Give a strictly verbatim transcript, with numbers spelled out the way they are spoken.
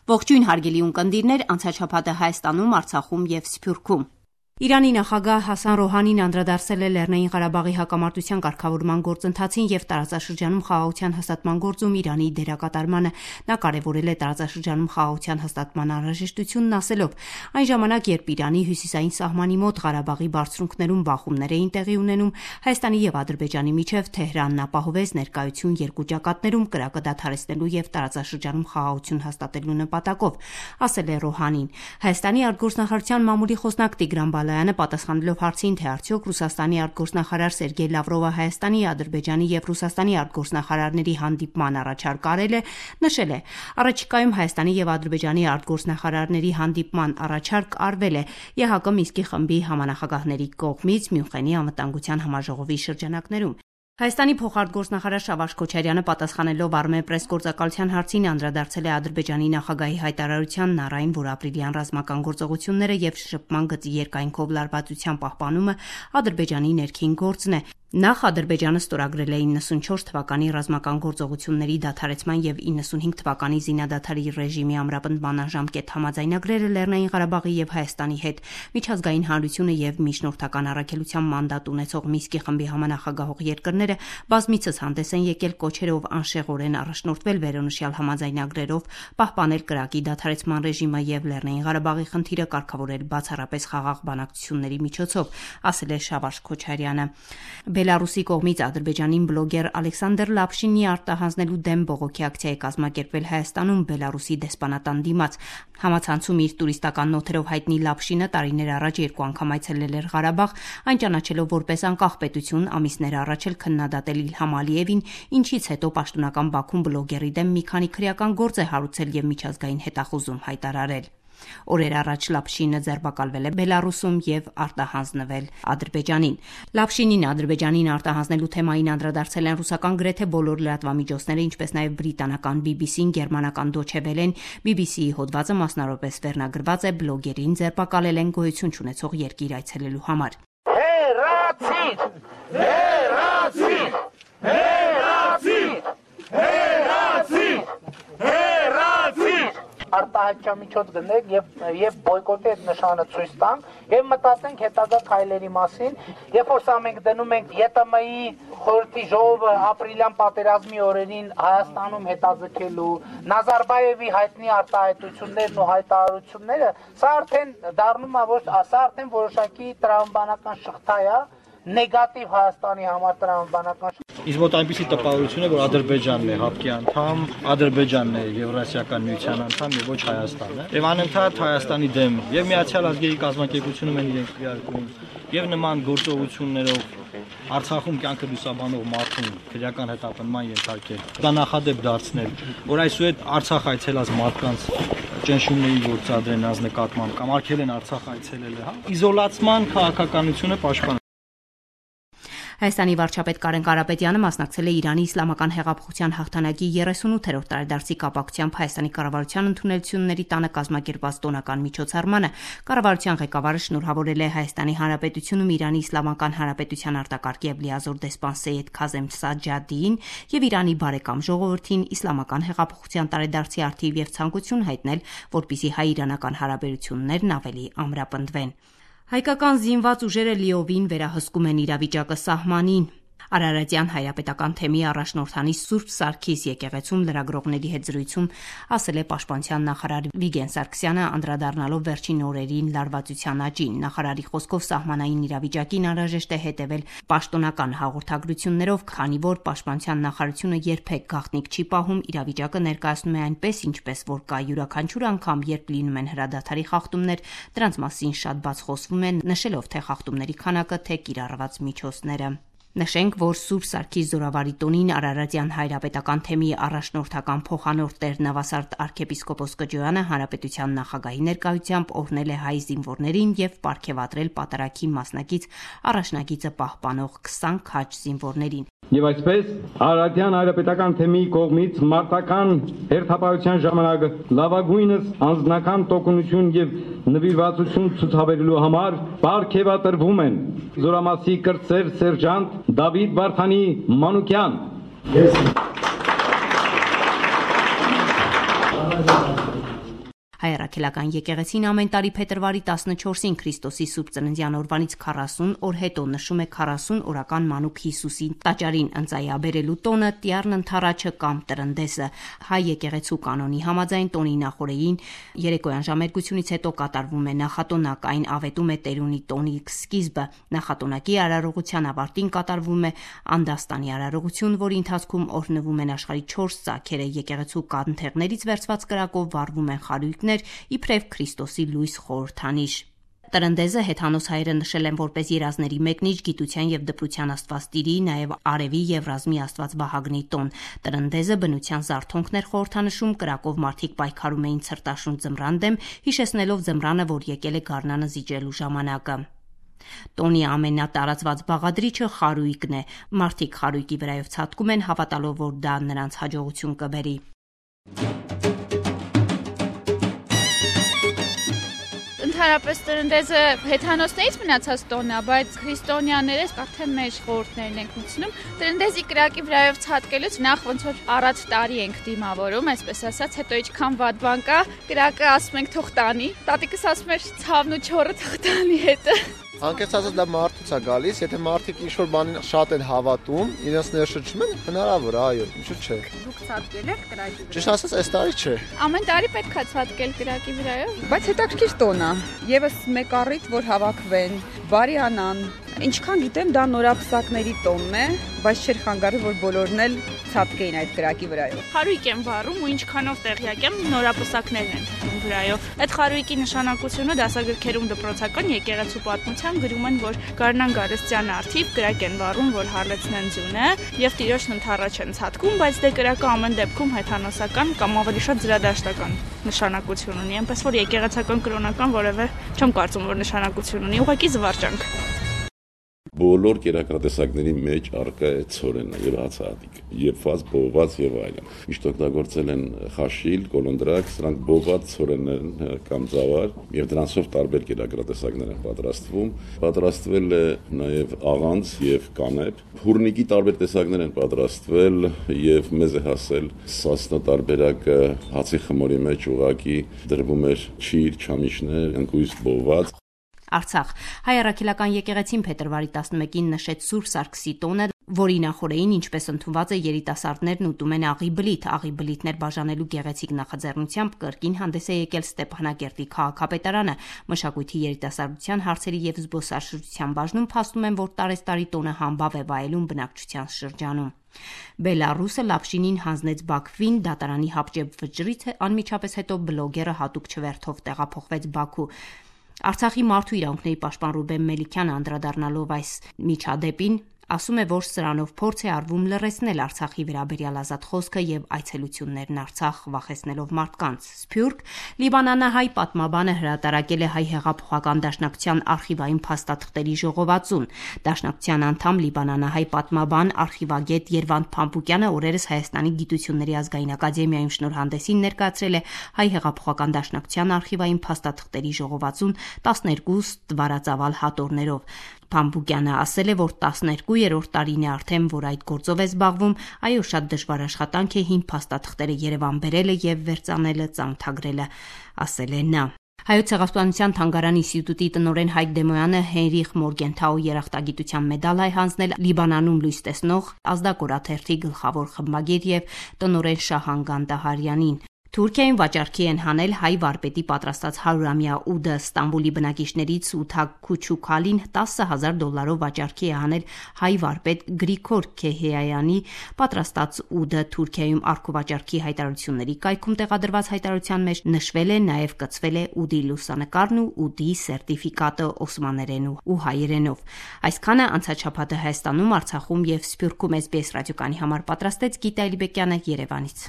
Ողջույն հարգելի ունկնդիրներ, անցած շաբաթը Հայաստանում, Արցախում եւ Սփյուռքում։ Իրանի նախագահ Հասան Ռոհանին անդրադարձել է Լեռնային Ղարաբաղի հակամարտության կարգավորման գործընթացին եւ տարածաշրջանում խաղաղության հաստատման գործում Իրանի դերակատարմանը։ Նա կարեւորել է տարածաշրջանում խաղաղության հաստատման անհրաժեշտությունն, ասելով. այն ժամանակ, երբ Իրանի հյուսիսային սահմանի մոտ Ղարաբաղի բարձունքներում բախումներ էին տեղի ունենում, Հայաստանի եւ Ադրբեջանի միջեւ Թեհրանն ապահովեց ներկայություն երկու ճակատներում կրակը դադարեցնելու եւ տարածաշրջանում խաղաղություն հաստատելու նպատակով, ասել է Ռոհանին։ Հայաստանի արտգործնախարարության մամուլի խոսնակ Տիգրան Բալայանը պատասխանելով հարցին, թե արդյոք Ռուսաստանի արտգործնախարար Սերգեյ Լավրովը Հայաստանի, Ադրբեջանի եւ Ռուսաստանի արտգործնախարարների հանդիպման առաջարկ արել է, նշել է. առաջիկայում Հայաստանի եւ Ադրբեջանի արտգործնախարարների հանդիպման առաջարկ արվել է ԵՀԿ Մինսկի խմբի համանախագահների կողմից Մյունխենի անվտանգության համաժողովի շրջանակներում։ Հայաստանի փոխարտգործնախարար Շավարշ Քոչարյանը պատասխանելով Armenpress գործակալության հարցին անդրադարձել է Ադրբեջանի նախագահի հայտարարությանն առ այն, որ ապրիլյան ռազմական գործողությունները եւ շփման գծի երկայնքով լարվածության պահպանումը Ադրբեջանի ներքին գործն է։ Նախ Ադրբեջանը ստորագրել է իննսունչորս թվականի ռազմական գործողությունների դադարեցման եւ իննսունհինգ թվականի զինադադարի ռեժիմի ամրապնդման ժամկետ համաձայնագրերը Լեռնային Ղարաբաղի եւ Հայաստանի հետ։ Միջազգային հանրությունը եւ միջնորդական առաքելության մանդատ ունեցող Մինսկի խմբի համանախագահող երկրները բազմիցս հանդես են եկել կոչերով անշեղորեն առաջնորդվել վերոնշյալ համաձայնագրերով, պահպանել կրակի դադարեցման ռեժիմը եւ Լեռնային Ղարաբաղի խնդիրը կարգավորել բացառապես խաղաղ բանակցությունների միջոցով, ասել է Շավարշ Քոչարյանը։ Բելարուսի կողմից Ադրբեջանին բլոգեր Ալեքսանդր Լապշինի արտահանձնելու դեմ բողոքի ակցիա է կազմակերպվել Հայաստանում Բելարուսի դեսպանատան դիմաց։ Համացանցում իր տուրիստական նոթերով հայտնի Լապշինը տարիներ առաջ երկու անգամ այցելել էր Ղարաբաղ, այն ճանաչելով որպես անկախ պետություն, ամիսներ առաջ էլ քննադատել Իլհամ Ալիևին, ինչից հետո պաշտոնական Բաքուն բլոգերի դեմ մի քանի քրեական գործ է հարուցել եւ միջազգային հետախուզում հայտարարել։ Օրեր առաջ Լապշինը ձերբակալվել է Բելարուսում եւ արտահանձնվել Ադրբեջանին։ Լապշինին Ադրբեջանին արտահանձնելու թեմային անդրադարձել են ռուսական գրեթե բոլոր լրատվամիջոցները, ինչպես նաեւ բրիտանական բի բի սին, գերմանական Deutsche Welle-ն, բի բի սի-ի հոդվածը մասնավորապես վերնագրված է բլոգերին ձերբակալել են գոյություն չունեցող երկիր այցելելու համար։ Հերացիր! Հերացիր! Հերացիր! Հերացիր! Հերացիր! Արտահայտչամիջոց գնենք եւ եւ բոյկոտի այդ նշանը ցույց տանք եւ մտածենք հետագա քայլերի մասին, երբ որ սա մենք դնում ենք ԵՏՄ-ի խորհրդի ժողովը ապրիլյան պատերազմի օրերին Հայաստանում հետաձգելու, Նազարբաևի հայտնի արտահայտություններն ու հայտարարությունները, սա արդեն դառնում է ոչ, սա արդեն որոշակի տրամաբանական շղթա է, նեգատիվ Հայաստանի համար տրամաբանական շղթա։ Իսկ մոտ այնպիսի տպավորություն է, որ Ադրբեջանն է ՀԱՊԿ-ի անդամ, Ադրբեջանն է Եվրասիական միության անդամ եւ ոչ Հայաստանը։ Եվ անընդհատ Հայաստանի դեմ եւ Միացյալ Ազգերի կազմակերպությունում են իրենք քվեարկում եւ նման գործողություններով Արցախում կյանքը լուսաբանող մարդուն քրեական հետապնդման ենթարկել։ Դա նախադեպ դարձնել, որ այսուհետ Արցախ այցելած մարդկանց ճնշումների գործադրեն նրանց նկատմամբ կամ արգել են Արցախ այցելել, հա։ Իզոլացման քաղաքականությունը պաշտպան Հայաստանի վարչապետ Կարեն Կարապետյանը մասնակցել է Իրանի իսլամական հեղափոխության հաղթանակի երեսունութերորդ տարեդարձի կապակցությամբ Հայաստանի կառավարության ընդունելությունների տանը կազմակերպված տոնական միջոցառմանը։ Կառավարության ղեկավարը շնորհավորել է Հայաստանի Հանրապետությունում Իրանի Իսլամական Հանրապետության արտակարգ եւ լիազոր դեսպան Սեյեդ Քազեմ Սաջադիին եւ Իրանի բարեկամ ժողովրդին իսլամական հեղափոխության տարեդարձի առթիվ եւ ցանկություն հայտնել, որպիսի հայ-իրանական հարաբերություններն ավելի ամրապնդվեն։ Հայկական զինված ուժերը լիովին վերահսկում են իրավիճակը սահմանին։ Արարատյան հայրապետական թեմի առաջնորդանի Սուրբ Սարգիս եկեղեցում լրագրողների հետ զրույցում ասել է Պաշտպանության նախարար Վիգեն Սարգսյանը, անդրադառնալով վերջին օրերին լարվածության աճին։ Նախարարի խոսքով սահմանային իրավիճակին անհրաժեշտ է հետևել պաշտոնական հաղորդագրություններով, քանի որ Պաշտպանության նախարարությունը երբեք գաղտնիք չի պահում, իրավիճակը ներկայացնում է այնպես, ինչպես որ կա յուրաքանչյուր անգամ, երբ լինում են հրադադարի խախտումներ, դրանց մասին շատ բաց խոսվում է, նշելով թե խախտումների քանակը, թե կիրառված միջոցները։ Նշենք, որ Սուրբ Սարգիս զորավարի տոնին Արարատյան հայրապետական թեմի առաջնորդական փոխանորդ Տեր Նավասարդ arczepiskopos Կջոյանը հանրապետության նախագահի ներկայությամբ օրհնել է հայ զինվորներին եւ պարգեւատրել պատարագի մասնակից առաջնագիծը պահպանող քսան քաջ զինվորներին։ Եվ այսպես Արարատյան հայրապետական թեմի կողմից մարտական հերթապահության ժամանակ լավագույնս անձնական տոկունություն եւ նվիրվածություն ցուցաբերելու համար պարգեւատրվում են զորամասի կրտսեր սերժանտ Դավիթ Վարդանի Մանուկյան։ Հայ առաքելական եկեղեցին ամեն տարի փետրվարի տասնչորսին Քրիստոսի Սուրբ Ծննդյան օրվանից քառասուն օր հետո նշում է քառասուն օրական մանուկ Հիսուսին տաճարին ընծայաբերելու տոնը Տյառն ընթառաջը կամ տրնդեսը։ Հայ եկեղեցու կանոնի համաձայն տոնի նախօրեին երեկոյան ժամերգությունից հետո կատարվում է նախատոնակ, այն ավետում է տերունի տոնի սկիզբը։ Նախատոնակի արարողության ավարտին կատարվում է անդաստանի արարողություն, որի ընթացքում օրհնվում են աշխարհի չորս ծագերը, եկեղեցու կանթեղներից վերցված կրակով վառվում են խարույկներ, իբրև Քրիստոսի լույս խորհրդանիշ։ Տրնդեզը հեթանոս հայերը նշել են որպես երազների մեկնիչ, գիտության եւ դպրության աստվածտիրի, նաեւ արևի եւ ռազմի աստված Վահագնի տոն։ Տրնդեզը բնության զարթոնքներ խորհրդանշում, կրակով մարդիկ պայքարում էին ցրտաշուն ձմռան դեմ, հիշեցնելով ձմռանը, որ եկել է գարնանը զիջելու ժամանակը։ Տոնի ամենատարածված բաղադրիչը խարույկն է։ Մարդիկ խարույկի վրայով ցատկում են, հավատալով, որ դա նրանց հաջողություն կբերի։ Ընդհանրապես տրնդեզը հեթանոսներից մնացած տոն է, բայց քրիստոնյաներս արդեն մեր խորհուրդներն ենք մտցնում։ Տրնդեզի կրակի վրայով ցատկելուց նախ ոնց որ առաջ տարի ենք դիմավորում, այսպես ասած, հետո ինչքան վատ բան կա, կրակը ասում ենք թող տանի։ Տատիկս ասում էր ցավն ու չորը թող տանի հետը։ Անկեղծ ասած դա մարդուց է գալիս, եթե մարդիկ ինչ-որ բանին շատ են հավատում, իրենց ներշրջում են, հնարավոր է, այո, ինչու՞ չէ։ Դուք ցատկել եք կրակի վրայով։ Ճիշտ ասած, այս տարի չէ։ Ամեն տարի պետք է ցատկել կրակի վրայով։ Բայց հետաքրքիր տոն է։ Եվս մեկ առիթ, որ հավաքվեն, բարյանան։ Ինչքան գիտեմ, դա նորապսակների տոնն է, բայց չէր խանգարի, որ բոլորն էլ ցատկեին այդ կրակի վրայով։ Խարույկ եմ վառում ու ինչքանով տեղյակ եմ, նորապսակներն են թվում վրայով։ Այդ խարույկի նշանակությունը դասագրքերում դպրոցական եկեղեցու պատմության գրում են, որ Գարնան Գարստյան արդիվ կրակ են վառում, որ հալեցնեն ձյունը եւ տիրոջն ընթառաջ են ցատկում, բայց դե կրակը ամեն դեպքում հեթանոսական կամ ավելի շատ զրադաշտական նշանակություն ունի, այնպես որ եկեղեցական կրոնական որևէ չեմ կարծում, որ նշանակություն ունի, ուղղակի զվարճանք։ Բոլոր կերակրատեսակների մեջ առկա է ցորենը եւ հացահատիկ, երբված, բողված եւ այլն։ Միշտ օգտագործել են խաշիլ, կոլոնդրակ, սրանք բողված ցորեններ կամ ծավալ եւ դրանցով տարբեր կերակրատեսակներ են պատրաստվում։ Պատրաստվել է նաեւ աղանց եւ կանեպ։ Հուրնիկի տարբեր տեսակներ են պատրաստվել եւ մեզ է հասել սասնա տարբերակը հացի խմորի մեջ ուղակի դրվում էր չիր, չամիչներ, ընկույզ բողված։ Արցախ Հայ առաքելական եկեղեցին փետրվարի տասնմեկին նշեց Սուրբ Սարգսի տոնը, որի նախօրեին, ինչպես ընդունված է, երիտասարդներն ուտում են աղի բլիթ, աղի բլիթներ բաժանելու գեղեցիկ նախաձեռնությամբ կրկին հանդես է եկել Ստեփանակերտի քաղաքապետարանը։ Մշակույթի երիտասարդության հարցերի եւ զբոսաշրջության բաժնում փաստում են, որ տարեստարի տոնը համբավ է վայելում բնակչության շրջանում։ Բելարուսը Լապշինին հանձնեց Բաքվին, դատարանի հապճեպ վճռից անմիջապես հետո բլոգերը հատուկ չվերթով տեղափոխվեց Բաքու։ Արցախի մարդու իրավունքների պաշտպան Ռուբեն Մելիքյանը անդրադառնալով այս միջադեպին ասում է, որ սրանով փորձ է արվում լռեցնել Արցախի վերաբերյալ ազատ խոսքը եւ այցելություններն Արցախ վախեցնելով մարդկանց։ Սփյուռք Լիբանանահայ պատմաբանը հրատարակել է Հայ հեղափոխական դաշնակցության արխիվային փաստաթղթերի ժողովածուն։ Դաշնակցության անդամ Լիբանանահայ պատմաբան արխիվագետ Երվանդ Փամփուկյանը օրերս Հայաստանի Գիտությունների ազգային ակադեմիայում շնորհանդեսին ներկայացրել է Հայ հեղափոխական դաշնակցության արխիվային փաստաթղթերի ժողովածուն տասներկու ստվարածավալ հատորներով։ Փամփուկյանը ասել է, որ տասներկուերորդ տարին է արդեն, որ այդ գործով է զբաղվում, այո, շատ դժվար աշխատանք է հին փաստաթղթերը Երևան բերելը եւ վերծանելը, ծանոթագրելը, ասել է նա։ Հայոց ցեղասպանության թանգարանի ինստիտուտի տնօրեն Հայկ Դեմոյանը Հենրիխ Մորգենթաու երախտագիտության մեդալ է հանձնել Լիբանանում լույս տեսնող ազդակորաթերթի գլխավոր խմբագիր եւ տնօրեն Շահան Գանդահարյանին։ Թուրքիայում վաճառքի են հանել հայ վարպետի պատրաստած հարյուրամյա ուդը։ Ստամբուլի բնակիչներից Ութակ Քուչուքալին տասը հազար դոլարով վաճառքի է հանել հայ վարպետ Գրիգոր Քեհեյանի պատրաստած ուդը։ Թուրքիայում առքուվաճառքի հայտարարությունների կայքում տեղադրված հայտարարության մեջ նշվել է, նաև կցվել է ուդի լուսանկարն ու ուդի սերտիֆիկատը օսմաներեն ու հայերենով։ Այսքանը անցած շաբաթը Հայաստանում, Արցախում եւ Սփյուռքում էս բի էս ռադիոկայանի համար պատրաստեց Գիտա Էլիբեկյանը Երևանից։